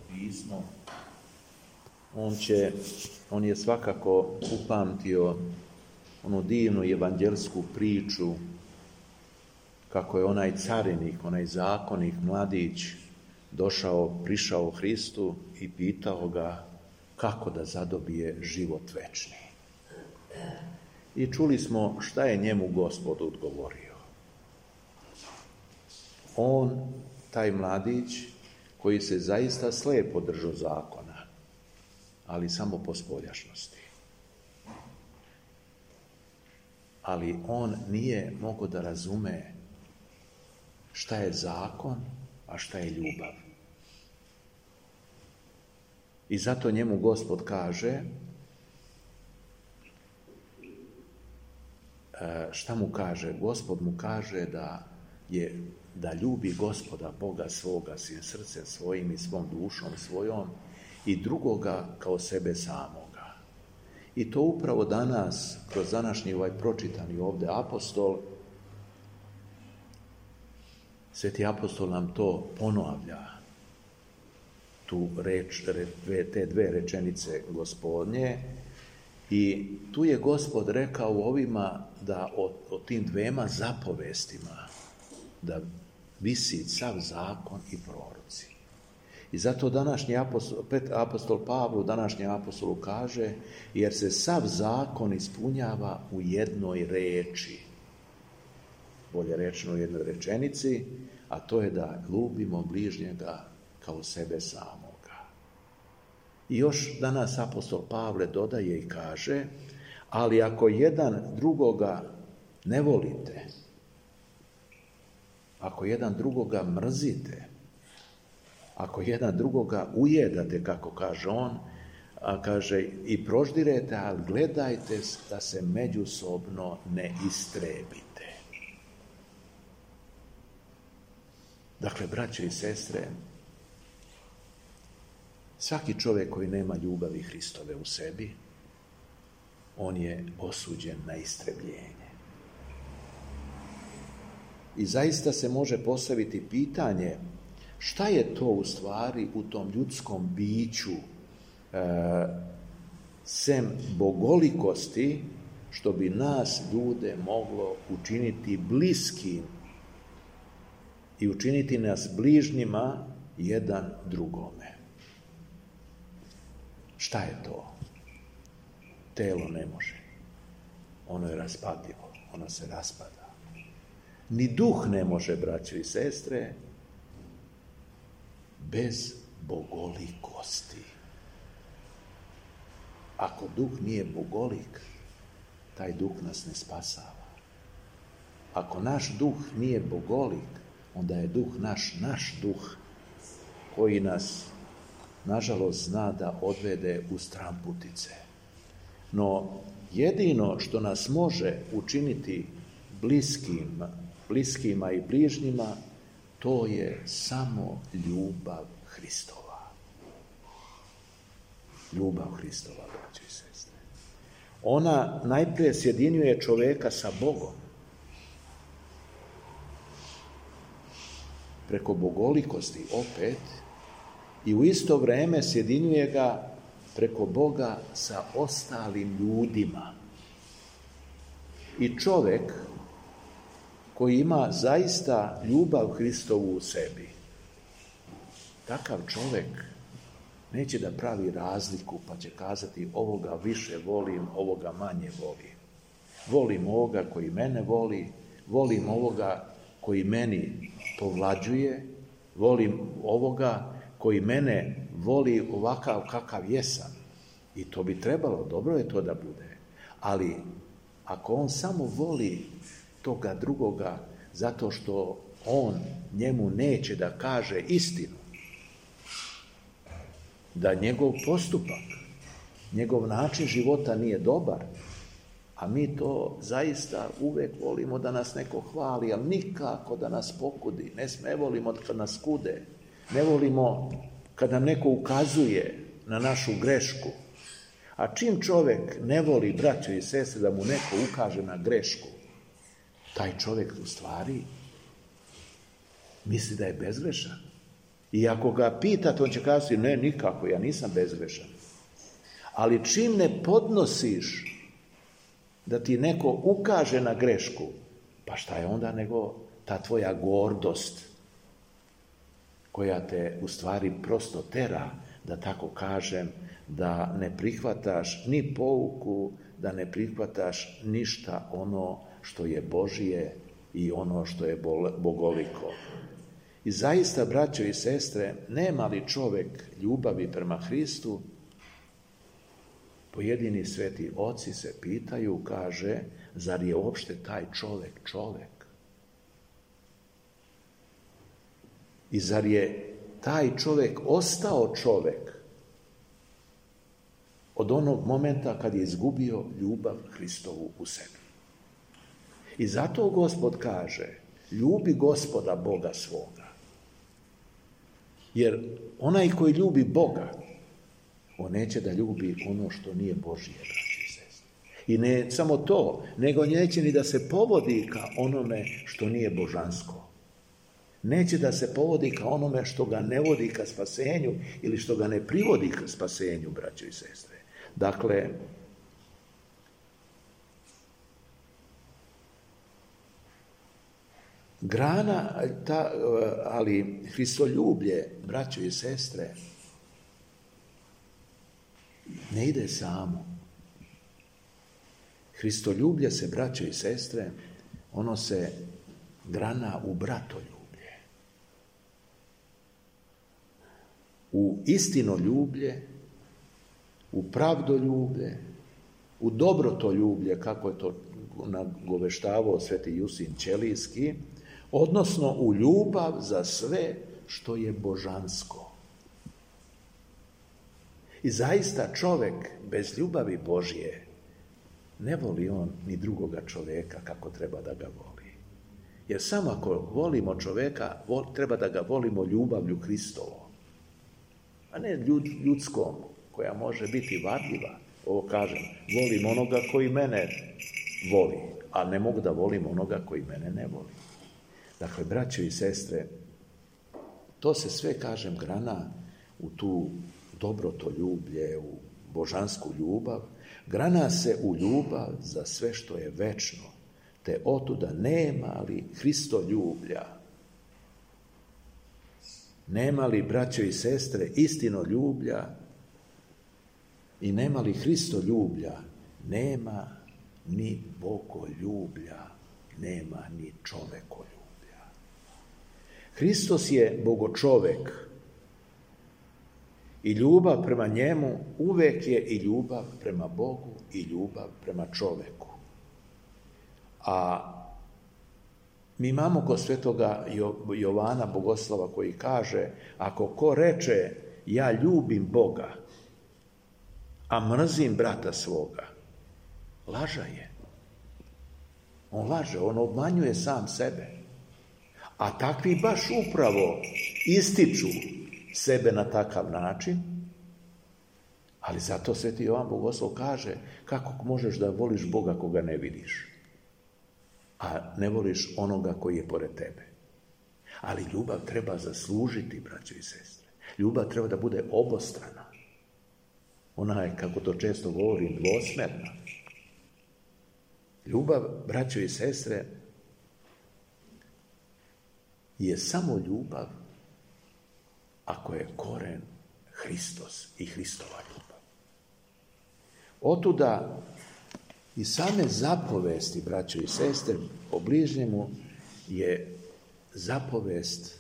pismo, on je svakako upamtio onu divnu evanđelsku priču kako je onaj carinik, onaj zakonik, mladić prišao Hristu i pitao ga kako da zadobije život večni. I čuli smo šta je njemu Gospod odgovorio. On, taj mladić, koji se zaista slepo držao zakona, ali samo po spoljašnosti. Ali on nije mogao da razume šta je zakon, a šta je ljubav. I zato njemu Gospod kaže, šta mu kaže? Gospod mu kaže da ljubi Gospoda Boga svoga svim srcem svojim i svom dušom svojom i drugoga kao sebe samoga. I to upravo danas, kroz današnji pročitani ovdje apostol, Sveti apostol nam to ponavlja, te dve rečenice Gospodnje, i tu je Gospod rekao ovima da o tim dvema zapovestima da visi sav zakon i proroci. I zato današnji apostol Pavlu, današnjem apostolu kaže, jer se sav zakon ispunjava u jednoj reči, bolje rečeno u jednoj rečenici, a to je da ljubimo bližnjega kao sebe samoga. I još danas apostol Pavle dodaje i kaže, ali ako jedan drugoga ne volite, ako jedan drugoga mrzite, ako jedan drugoga ujedate, kako kaže on, kaže i proždirete, ali gledajte da se međusobno ne istrebite. Dakle, braće i sestre, svaki čovjek koji nema ljubavi Hristove u sebi, on je osuđen na istrebljenje. I zaista se može postaviti pitanje šta je to u stvari u tom ljudskom biću sem bogolikosti što bi nas ljude moglo učiniti bliskim i učiniti nas bližnjima jedan drugome. Šta je to? Telo ne može. Ono je raspadljivo, ono se raspada. Ni duh ne može, braćo i sestre, bez bogolikosti. Ako duh nije bogolik, taj duh nas ne spasava. Ako naš duh nije bogolik, onda je duh naš duh, koji nas, nažalost, zna da odvede u stramputice. No, jedino što nas može učiniti bliskima i bližnjima, to je samo ljubav Hristova. Ljubav Hristova, braćo i sestre. Ona najprije sjedinjuje čovjeka sa Bogom. Preko bogolikosti opet, i u isto vrijeme sjedinjuje ga preko Boga sa ostalim ljudima. I čovjek koji ima zaista ljubav Hristovu u sebi, takav čovjek neće da pravi razliku pa će kazati ovoga više volim, ovoga manje volim. Volim ovoga koji mene voli, volim ovoga koji meni povlađuje, volim ovoga koji mene voli ovakav kakav jesam. I to bi trebalo, dobro je to da bude. Ali ako on samo voli toga drugoga zato što on njemu neće da kaže istinu, da njegov postupak, njegov način života nije dobar, a mi to zaista uvek volimo da nas neko hvali, ali nikako da nas pokudi. Ne volimo kad nas kude, ne volimo kad nam neko ukazuje na našu grešku. A čim čovjek ne voli, braćo i sestre, da mu neko ukaže na grešku, taj čovjek u stvari misli da je bezgrešan. I ako ga pitate, on će kazati, ne, nikako, ja nisam bezgrešan. Ali čim ne podnosiš da ti neko ukaže na grešku, pa šta je onda nego ta tvoja gordost koja te u stvari prosto tera, da tako kažem, da ne prihvataš ni pouku, da ne prihvataš ništa ono što je Božije i ono što je bogoliko. I zaista, braćo i sestre, nema li čovjek ljubavi prema Hristu? Pojedini sveti oci se pitaju, kaže, zar je uopšte taj čovjek? I zar je taj čovjek ostao čovjek od onog momenta kad je izgubio ljubav Hristovu u sebi? I zato Gospod kaže, ljubi Gospoda Boga svoga. Jer onaj koji ljubi Boga, on neće da ljubi ono što nije Božije, braći i sestre. I ne samo to, nego neće ni da se povodi ka onome što nije božansko. Neće da se povodi ka onome što ga ne vodi ka spasenju ili što ga ne privodi ka spasenju, braćo i sestre. Dakle, ali Hristoljublje, braćo i sestre, ne ide samo. Hristoljublje se, braćo i sestre, ono se grana u bratoljublje. U istinoljublje, u pravdoljublje, u dobrotoljublje, kako je to nagoveštavao sveti Jusin Ćelijski, odnosno u ljubav za sve što je božansko. I zaista čovjek bez ljubavi Božje ne voli on ni drugoga čovjeka kako treba da ga voli. Jer samo ako volimo čovjeka, treba da ga volimo ljubavlju Hristovom, a ne ljudskom, koja može biti varljiva. Ovo kažem, volim onoga koji mene voli, a ne mogu da volim onoga koji mene ne voli. Dakle, braćo i sestre, to se sve, kažem, grana u tu dobrotoljublje, u božansku ljubav, grana se u ljubav za sve što je večno, te otuda nema li Hristoljublja, nema li, braćo i sestre, istinoljublja i nema li Hristoljublja, nema ni bogoljublja, nema ni čovekoljublja. Hristos je bogočovek i ljubav prema njemu uvek je i ljubav prema Bogu i ljubav prema čoveku. A mi imamo kod svetoga Jovana Bogoslava koji kaže, ako ko reče ja ljubim Boga, a mrzim brata svoga, laža je. On laže, on obmanjuje sam sebe. A takvi baš upravo ističu sebe na takav način, ali zato sveti Jovan Bogoslov kaže, kako možeš da voliš Boga koga ne vidiš, a ne voliš onoga koji je pored tebe. Ali ljubav treba zaslužiti, braćo i sestre. Ljubav treba da bude obostrana. Ona je, kako to često govorim, dvosmerna. Ljubav, braćo i sestre, je samo ljubav ako je koren Hristos i Hristova ljubav. Otuda i same zapovesti, braćo i sestre, o bližnjemu je zapovest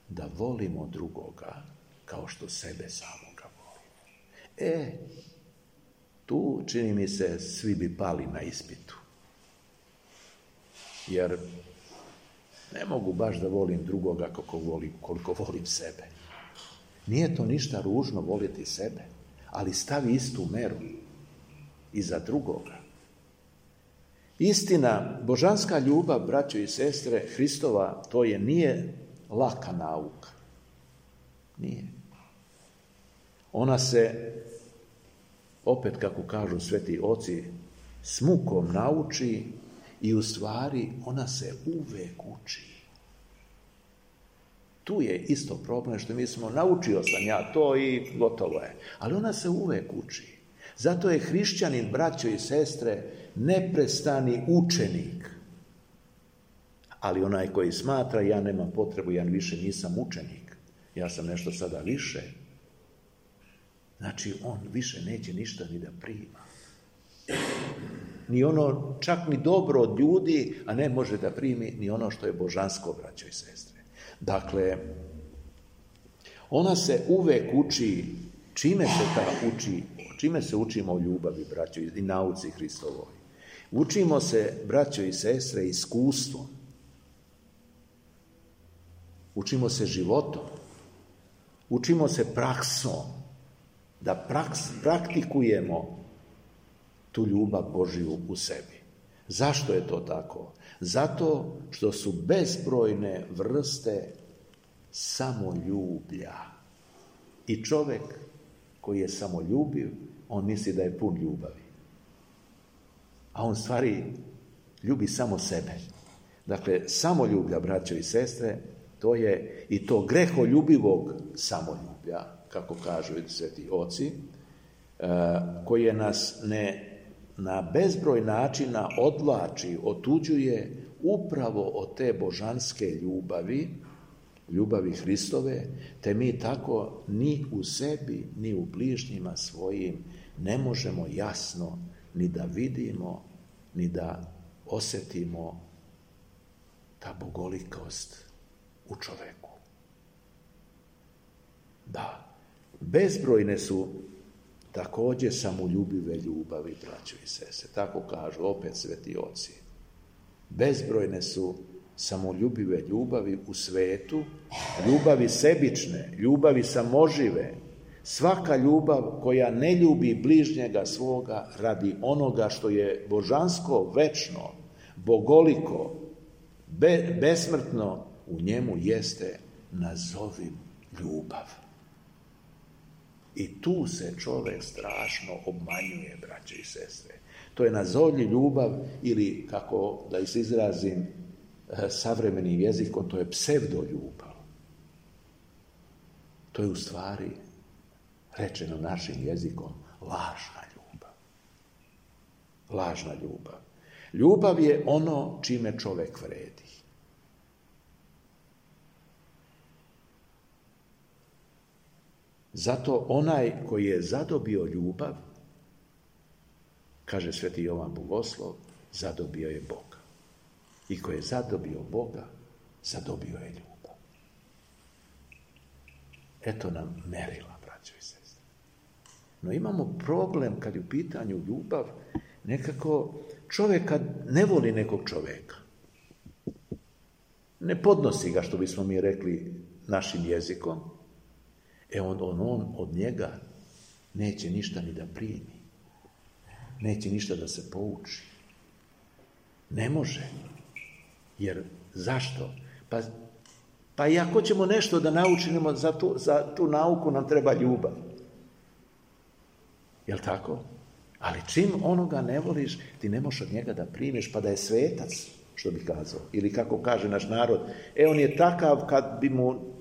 da volimo drugoga kao što sebe samoga volimo. Tu, čini mi se, svi bi pali na ispitu. Jer ne mogu baš da volim drugoga koliko volim sebe. Nije to ništa ružno voliti sebe, ali stavi istu meru i za drugoga. Istina, božanska ljubav, braćo i sestre, Hristova, to nije laka nauka. Nije. Ona se, opet kako kažu sveti oci, s mukom nauči i u stvari ona se uvek uči. Tu je isto problem što mi smo, naučio sam ja to i gotovo je. Ali ona se uvek uči. Zato je hrišćanin, braćo i sestre, neprestani učenik. Ali onaj koji smatra, ja nemam potrebu, ja više nisam učenik, ja sam nešto sada više, znači on više neće ništa ni da prima. Ni ono, čak ni dobro od ljudi, a ne može da primi ni ono što je božansko, braćo i sestre. Dakle, ona se uvek uči, čime se učimo o ljubavi, braćo, i nauci Hristovoj. Učimo se, braćo i sestre, iskustvom. Učimo se životom. Učimo se praksom. Da praktikujemo tu ljubav Božju u sebi. Zašto je to tako? Zato što su bezbrojne vrste samoljublja. I čovjek koji je samoljubiv, on misli da je pun ljubavi. A on stvari ljubi samo sebe. Dakle, samoljublja, braćo i sestre, to je i to greholjubivog samoljublja, kako kažu sveti oci, koje nas na bezbroj načina odvlači, otuđuje upravo od te božanske ljubavi Hristove, te mi tako ni u sebi, ni u bližnjima svojim ne možemo jasno ni da vidimo, ni da osjetimo ta bogolikost u čoveku. Da, bezbrojne su također samoljubive ljubavi, braćo i sestre. Tako kažu opet sveti oci. Bezbrojne su samoljubive ljubavi u svetu, ljubavi sebične, ljubavi samožive. Svaka ljubav koja ne ljubi bližnjega svoga radi onoga što je božansko, večno, bogoliko, besmrtno, u njemu jeste nazovim ljubav. I tu se čovjek strašno obmanjuje, braće i sestre. To je nazovlji ljubav ili, kako da se izrazim savremenim jezikom, to je psevdoljubav. To je u stvari, rečeno našim jezikom, lažna ljubav. Lažna ljubav. Ljubav je ono čime čovjek vredi. Zato onaj koji je zadobio ljubav, kaže sveti Jovan Bogoslov, zadobio je Boga. I ko je zadobio Boga, zadobio je ljubav. Eto nam merila, braćo i sestre. No imamo problem kad je u pitanju ljubav, nekako čovjek kad ne voli nekog čovjeka, ne podnosi ga, što bismo mi rekli našim jezikom, on od njega neće ništa ni da primi. Neće ništa da se pouči. Ne može. Jer zašto? Pa i ako ćemo nešto da naučimo, za tu nauku nam treba ljubav. Jel' tako? Ali čim onoga ne voliš, ti ne možeš od njega da primiš, pa da je svetac, što bi kazao. Ili kako kaže naš narod, on je takav kad bi mu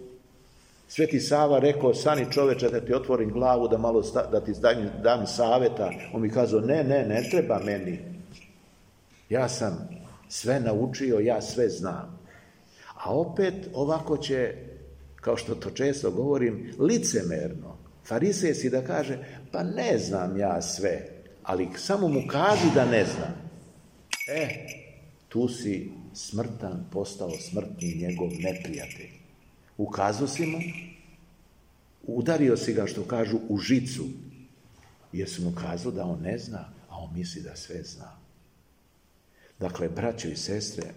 Sveti Sava rekao, stani čoveče da ti otvorim glavu, da ti dam savjeta. On mi kazao, ne treba meni. Ja sam sve naučio, ja sve znam. A opet ovako će, kao što to često govorim, licemerno, farisejski da kaže, pa ne znam ja sve, ali samo mu kaži da ne znam. Tu si smrtan, postao smrtni njegov neprijatelj. Ukazao si mu, udario si ga, što kažu, u žicu, jer si mu kazao da on ne zna, a on misli da sve zna. Dakle, braćo i sestre,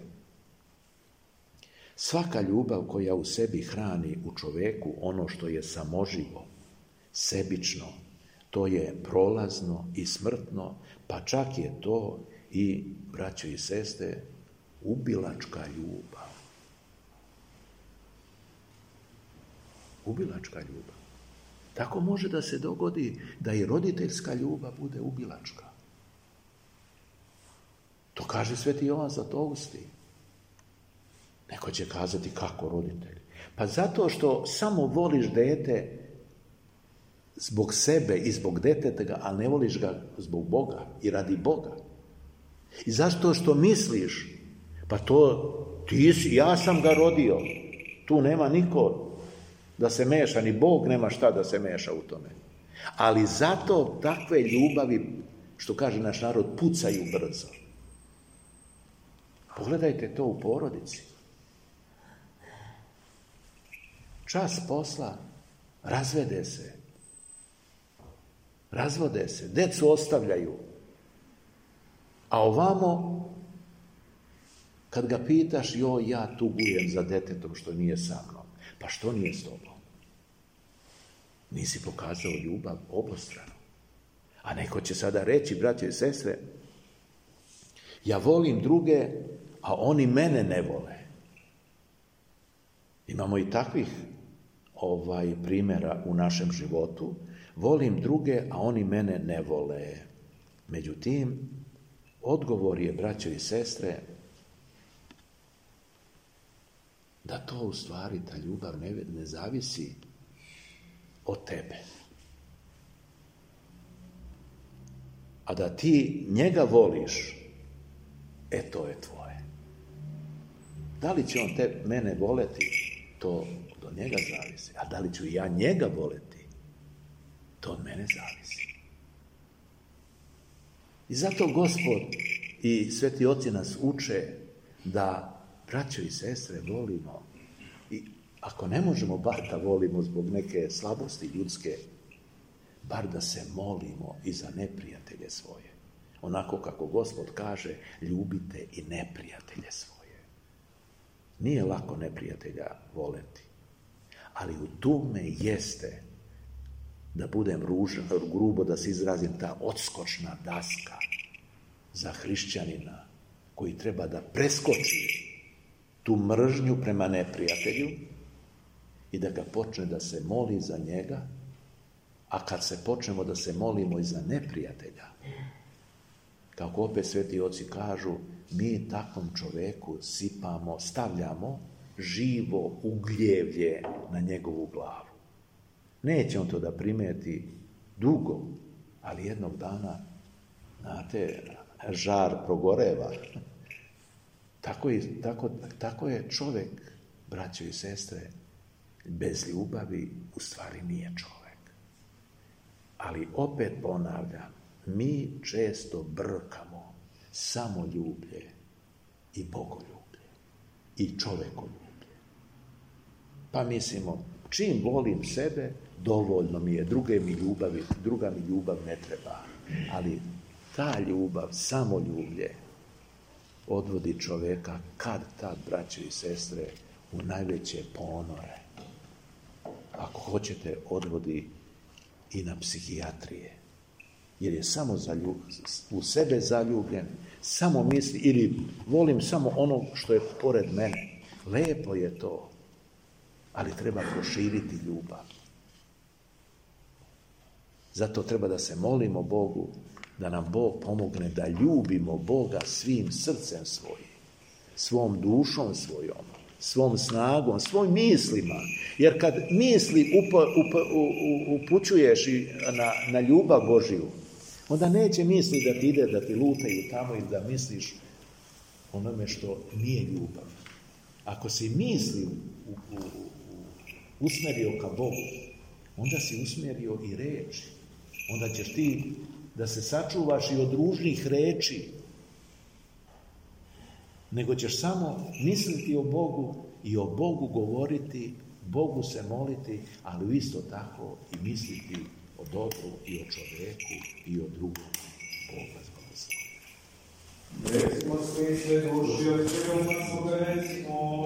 svaka ljubav koja u sebi hrani u čoveku ono što je samoživo, sebično, to je prolazno i smrtno, pa čak je to i, braćo i sestre, ubilačka ljubav. Ubilačka ljubav. Tako može da se dogodi da i roditeljska ljubav bude ubilačka. To kaže sveti Jovan Zlatousti. Neko će kazati kako roditelj. Pa zato što samo voliš dete zbog sebe i zbog deteta, ali ne voliš ga zbog Boga i radi Boga. I zašto što misliš, pa to ti si, ja sam ga rodio, tu nema niko da se meša, ni Bog nema šta da se meša u tome. Ali zato takve ljubavi, što kaže naš narod, pucaju brzo. Pogledajte to u porodici. Čas posla, razvode se, decu ostavljaju. A ovamo, kad ga pitaš, joj, ja tugujem za detetom što nije sa mnom. Pa što nije s tobom? Nisi pokazao ljubav obostrano. A neko će sada reći, braćo i sestre, ja volim druge, a oni mene ne vole. Imamo i takvih primjera u našem životu. Volim druge, a oni mene ne vole. Međutim, odgovor je, braćo i sestre, da to u stvari, ta ljubav ne zavisi od tebe. A da ti njega voliš, to je tvoje. Da li će on mene voleti, to od njega zavisi. A da li ću ja njega voleti, to od mene zavisi. I zato Gospod i sveti oci nas uče da, braćo i sestre, volimo. I ako ne možemo bar da volimo zbog neke slabosti ljudske, bar da se molimo i za neprijatelje svoje. Onako kako Gospod kaže, ljubite i neprijatelje svoje. Nije lako neprijatelja voleti, ali u tome jeste, da budem grubo da se izrazim, ta odskočna daska za hrišćanina koji treba da preskoči tu mržnju prema neprijatelju i da ga počne da se moli za njega, a kad se počnemo da se molimo i za neprijatelja, kako opet sveti oci kažu, mi takvom čoveku stavljamo živo ugljevlje na njegovu glavu. Neće on to da primeti dugo, ali jednog dana, znate, žar progoreva. Tako je čovjek, braćo i sestre, bez ljubavi u stvari nije čovjek. Ali opet ponavljam, mi često brkamo samoljublje i bogoljublje i čovekoljublje. Pa mislimo, čim volim sebe, dovoljno mi je, druga mi ljubav ne treba. Ali ta ljubav, samoljublje, odvodi čoveka kad tad, braćo i sestre, u najveće ponore. Ako hoćete, odvodi i na psihijatrije. Jer je samo u sebe zaljubljen, samo misli, ili volim samo ono što je pored mene. Lepo je to, ali treba proširiti ljubav. Zato treba da se molimo Bogu, da nam Bog pomogne da ljubimo Boga svim srcem svojim, svom dušom svojom, svom snagom, svojim mislima. Jer kad misli upućuješ na ljubav Božiju, onda neće misli da ti ide, da ti lutaju tamo i da misliš onome što nije ljubav. Ako si misli usmjerio ka Bogu, onda si usmjerio i reči. Onda ćeš ti da se sačuvaš i od ružnih reči, nego ćeš samo misliti o Bogu i o Bogu govoriti, Bogu se moliti, ali isto tako i misliti o dobru i o čovjeku i o drugom. Boga zbogoslovlja. Recimo svi sve duši od svega svoga recimo.